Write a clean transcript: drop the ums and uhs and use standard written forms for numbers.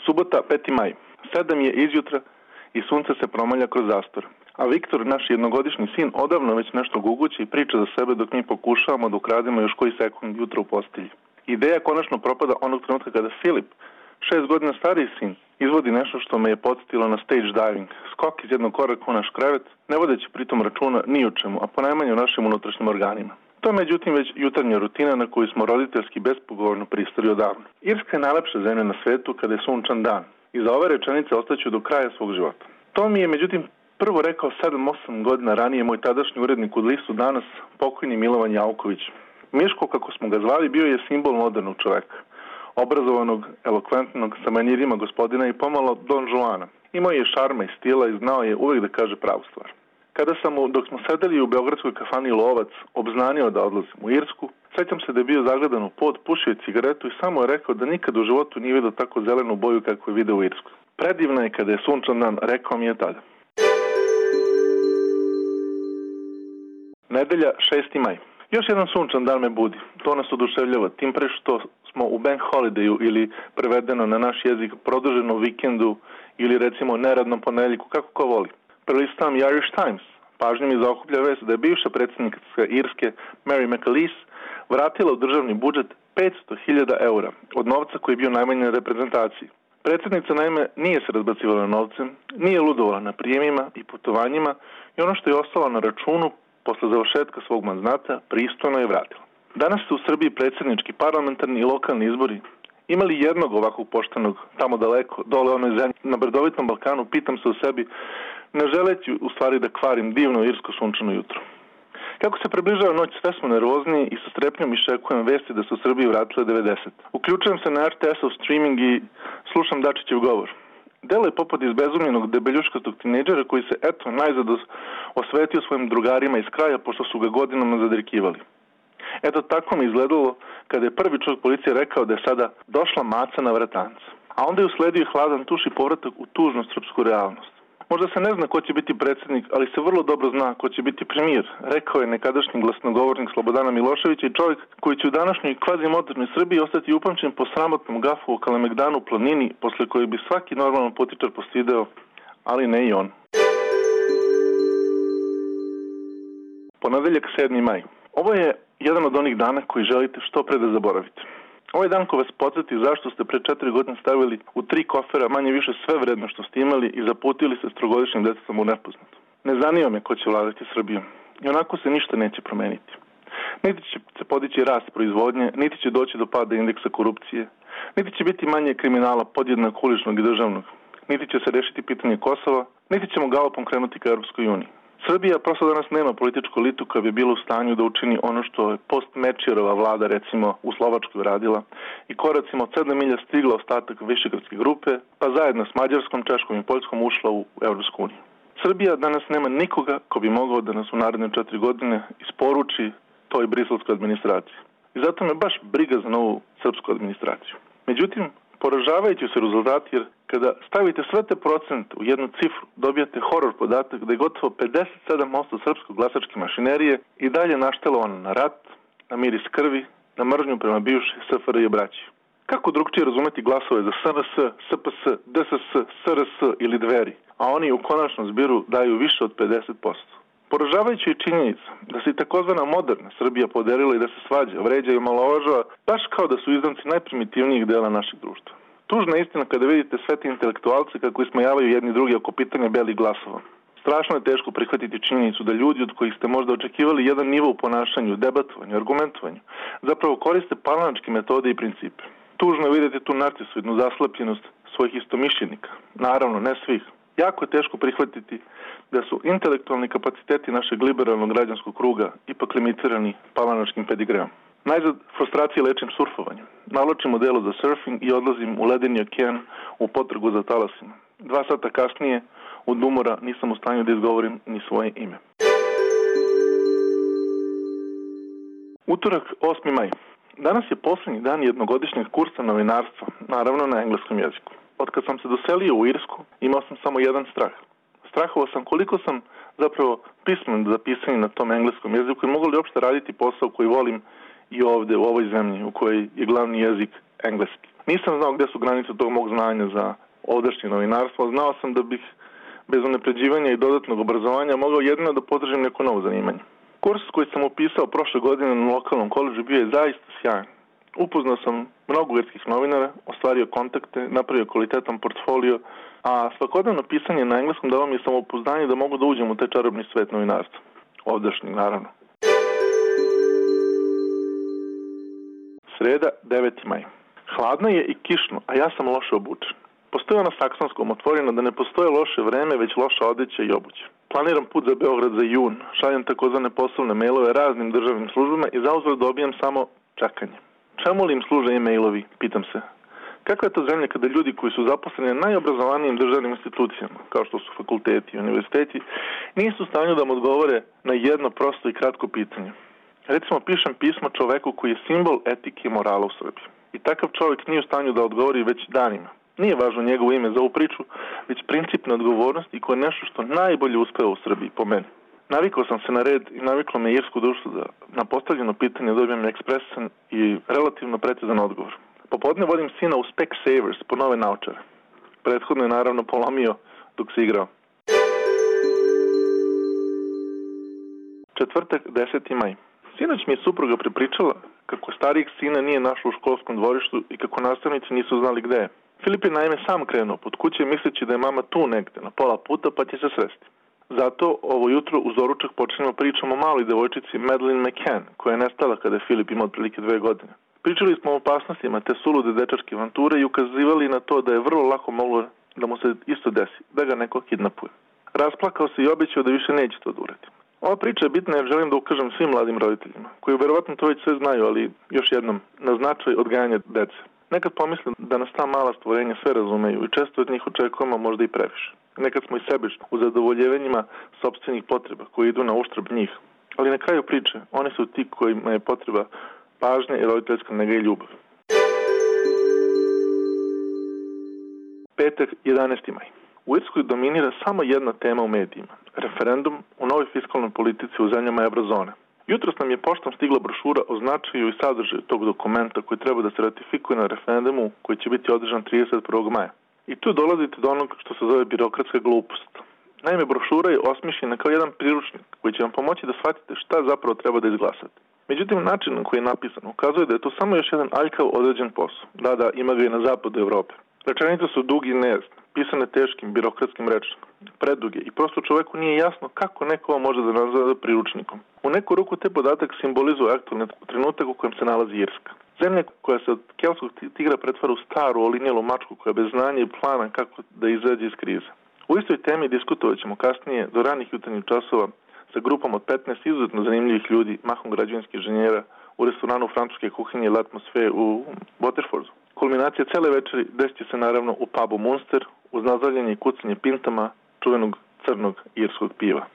Subota, 5. maj. 7 je izjutra i sunce se promalja kroz zastor. A Viktor, naš jednogodišnji sin, odavno već nešto gugući i priča za sebe dok mi pokušavamo da ukrademo još koji sekund jutra u postelji. Ideja konačno propada onog trenutka kada Filip, 6 godina stariji sin, izvodi nešto što me je podsjetilo na stage diving, skok iz jednog koraka u naš krevet, ne vodeći pritom računa ni o čemu, a ponajmanje o našim unutrašnjim organima. To je međutim već jutarnja rutina na koju smo roditeljski bespogovorno pristali odavno. Irska je najlepša zemlja na svetu kada je sunčan dan i za ove rečenice ostaću do kraja svog života. To mi je međutim prvo rekao 7-8 godina ranije moj tadašnji urednik u listu Danas, pokojni Milovan Jauković. Miško, kako smo ga zvali, bio je simbol modernog čoveka, obrazovanog, elokventnog, sa manirima gospodina i pomalo Don Juana. Imao je šarma i stila i znao je uvek da kaže pravu stvar. Kada sam mu, dok smo sedeli u beogradskoj kafani Lovac, obznanio da odlazim u Irsku, sećam se da je bio zagledan u pod, pušio je cigaretu i samo je rekao da nikad u životu nije vidio tako zelenu boju kako je video u Irskoj. Predivna je kada je sunčan dan, rekao mi je tada. Nedelja, 6. maj. Još jedan sunčan dan me budi. To nas oduševljava, tim pre što smo u bank holidayu ili prevedeno na naš jezik produženom vikendu ili recimo neradnom ponedeljku, kako ko voli. Prelistavam Irish Times. Pažnju mi zaokuplja vest da je bivša predsjednica Irske Mary McAleese vratila u državni budžet 500.000 eura od novca koji je bio najmanje na reprezentaciji. Predsjednica naime nije se razbacivala novcem, nije ludovala na prijemima i putovanjima i ono što je ostalo na računu posle završetka svog mandata pristojno je vratila. Danas su u Srbiji predsjednički, parlamentarni i lokalni izbori. Imali jednog ovakvog poštenog tamo daleko, dole onoj zemlji, na brdovitom Balkanu, pitam se o sebi, ne želeći u stvari da kvarim divno irsko sunčano jutro. Kako se približava noć, sve smo nervozniji i sa strepnjom iščekujem vesti da su u Srbiji vratile 90. Uključujem se na RTS-ov streaming i slušam Dačićev govor. Delo je poput izbezumljenog debeljuškastog tinejdžera koji se eto najzad osvetio svojim drugarima iz kraja pošto su ga godinama zadrikivali. Eto tako mi izgledalo kada je prvi čovjek policije rekao da je sada došla maca na vratanca. A onda je usledio hladan tuš i povratak u tužnu srpsku realnost. Možda se ne zna ko će biti predsjednik, ali se vrlo dobro zna ko će biti premijer, rekao je nekadašnji glasnogovornik Slobodana Miloševića i čovjek koji će u današnjoj kvazi-modernoj Srbiji ostati upamćen po sramotnom gafu u Kalemegdanu u planini, posle kojeg bi svaki normalan političar postideo, ali ne i on. Ponedeljak, 7. maj. Ovo je jedan od onih dana koji želite što pre da zaboravite. Ovaj dan ko vas podsjeti zašto ste pre 4 godine stavili u 3 kofera manje više sve vredno što ste imali i zaputili se s trogodišnjim detetom u nepoznato. Ne zanima me ko će vladati Srbijom. I onako se ništa neće promeniti. Niti će se podići rast proizvodnje, niti će doći do pada indeksa korupcije, niti će biti manje kriminala podjednako uličnog i državnog, niti će se rešiti pitanje Kosova, niti ćemo galopom krenuti ka Europskoj uniji. Srbija prosto danas nema političku elitu koja bi bila u stanju da učini ono što je post-Mečerova vlada recimo u Slovačkoj radila i koracima od 7 milja stigla ostatak Višegradske grupe, pa zajedno s Mađarskom, Češkom i Poljskom ušla u Europsku uniju. Srbija danas nema nikoga ko bi mogao da nas u naredne 4 godine isporuči toj briselskoj administraciji. I zato me baš briga za novu srpsku administraciju. Međutim, poražavajući se rezultati jer kada stavite sve te procente u jednu cifru, dobijate horor podatak da je gotovo 57% srpskog glasačke mašinerije i dalje naštelovano na rat, na miris krvi, na mržnju prema bivšoj SFRJ braći. Kako drugčije razumeti glasove za SNS, SPS, DSS, SRS ili Dveri, a oni u konačnom zbiru daju više od 50%. Poražavajući je činjenica da se i takozvana moderna Srbija poderila i da se svađa, vređa i omalovažava baš kao da su izdanci najprimitivnijih dela našeg društva. Tužna istina kada vidite sve te intelektualce kako ismejavaju jedni drugi oko pitanja belih glasova. Strašno je teško prihvatiti činjenicu da ljudi od kojih ste možda očekivali jedan nivo u ponašanju, debatovanju, argumentovanju, zapravo koriste palanačke metode i principe. Tužno je vidjeti tu narcisoidnu zaslepljenost svojih istomišljenika. Naravno, ne svih. Jako je teško prihvatiti da su intelektualni kapaciteti našeg liberalnog građanskog kruga ipak limitirani palanačkim pedigreom. Najzad frustracije lečim surfovanjem. Naločim odelo za surfing i odlazim u ledeni okean u potragu za talasima. 2 sata kasnije, od umora, nisam u stanju da izgovorim ni svoje ime. Utorak, 8. maj. Danas je posljednji dan jednogodišnjeg kursa novinarstva, naravno na engleskom jeziku. Od kad sam se doselio u Irsku, imao sam samo jedan strah. Strahovao sam koliko sam zapravo pismen za pisanje na tom engleskom jeziku i mogu li uopšte raditi posao koji volim i ovde, u ovoj zemlji, u kojoj je glavni jezik engleski. Nisam znao gde su granice tog mog znanja za ovdašnje novinarstvo. Znao sam da bih bez unapređivanja i dodatnog obrazovanja mogao jedino da potražim neko novo zanimanje. Kurs koji sam upisao prošle godine na lokalnom koledžu bio je zaista sjajan. Upoznao sam mnogo ugarskih novinara, ostvario kontakte, napravio kvalitetan portfolio, a svakodnevno pisanje na engleskom dalo mi je samopouzdanje da mogu da uđem u taj čarobni svet novinarstva. Ovdašnji, naravno. Sreda, 9. maj. Hladno je i kišno, a ja sam loše obučen. Postoji na saksonskom otvoreno da ne postoje loše vreme, već loša odeća i obuća. Planiram put za Beograd za jun, šaljem takozvane poslovne mailove raznim državnim službama i zauzvrat dobijam samo čekanje. Čemu li im služe e-mailovi, pitam se. Kakva je to zemlja kada ljudi koji su zaposleni na najobrazovanijim državnim institucijama, kao što su fakulteti i univerziteti, nisu u stanju da mu odgovore na jedno prosto i kratko pitanje. Recimo, pišem pismo čoveku koji je simbol etike i morala u Srbiji. I takav čovjek nije u stanju da odgovori već danima. Nije važno njegovo ime za ovu priču, već principna odgovornost i koje je nešto što najbolje uspeva u Srbiji, po meni. Navikao sam se na red i naviklo me irsko društvo da na postavljeno pitanje dobijem ekspresan i relativno precizan odgovor. Popodne vodim sina u Specsavers po nove naočare. Prethodno je naravno polomio dok se igrao. Četvrtak, 10. maj. Sinoć mi je supruga prepričala kako starijeg sina nije našla u školskom dvorištu i kako nastavnici nisu znali gde je. Filip je naime sam krenuo pod kuće misleći da je mama tu negde, na pola puta, pa će se sresti. Zato ovo jutro uz doručak počnemo pričom o maloj devojčici Madeleine McCann, koja je nestala kada je Filip imao otprilike 2 godine. Pričali smo o opasnostima te sulude dečačke avanture i ukazivali na to da je vrlo lako moglo da mu se isto desi, da ga neko kidnapuje. Rasplakao se i obećao da više neće to da uradi. Ova priča je bitna jer želim da ukažem svim mladim roditeljima, koji verovatno to već sve znaju, ali još jednom, na značaj odgajanja dece. Nekad pomislim da nas ta mala stvorenja sve razumeju i često od njih očekujemo možda i previše. Nekad smo i sebični u zadovoljevanjima sopstvenih potreba koji idu na uštrb njih. Ali na kraju priče, oni su ti kojima je potreba pažnja i roditeljska nega i ljubav. Petak, 11. maj. U Irskoj dominira samo jedna tema u medijima. Referendum u novoj fiskalnoj politici u zemljama eurozone. Jutros nam je poštom stigla brošura o značaju i sadržaju tog dokumenta koji treba da se ratifikuje na referendumu koji će biti održan 31. maja. I tu dolazite do onog što se zove birokratska glupost. Naime, brošura je osmišljena kao jedan priručnik koji će vam pomoći da shvatite šta zapravo treba da izglasate. Međutim, način na koji je napisan ukazuje da je to samo još jedan aljkav određen posao. Da, ima ga i na zapadu Evrope. Rečenice su dugi i nejasne, pisane teškim birokratskim rečnikom, preduge i prosto čoveku nije jasno kako neko može da nazove priručnikom. U neku ruku te podatak simbolizuje aktualni trenutak u kojem se nalazi Irska. Zemlja koja se od keltskog tigra pretvara u staru, olinjelu mačku koja bez znanja i plana kako da izađe iz krize. U istoj temi diskutovat ćemo kasnije do ranih jutarnjih časova sa grupom od 15 izuzetno zanimljivih ljudi, mahom građevinskih inženjera, u restoranu francuske kuhinje L'Atmosfere u Waterfordu. Kulminacija cele večeri desit će se naravno u pubu Munster uz nazdravljanje i kucanje pintama čuvenog crnog irskog piva.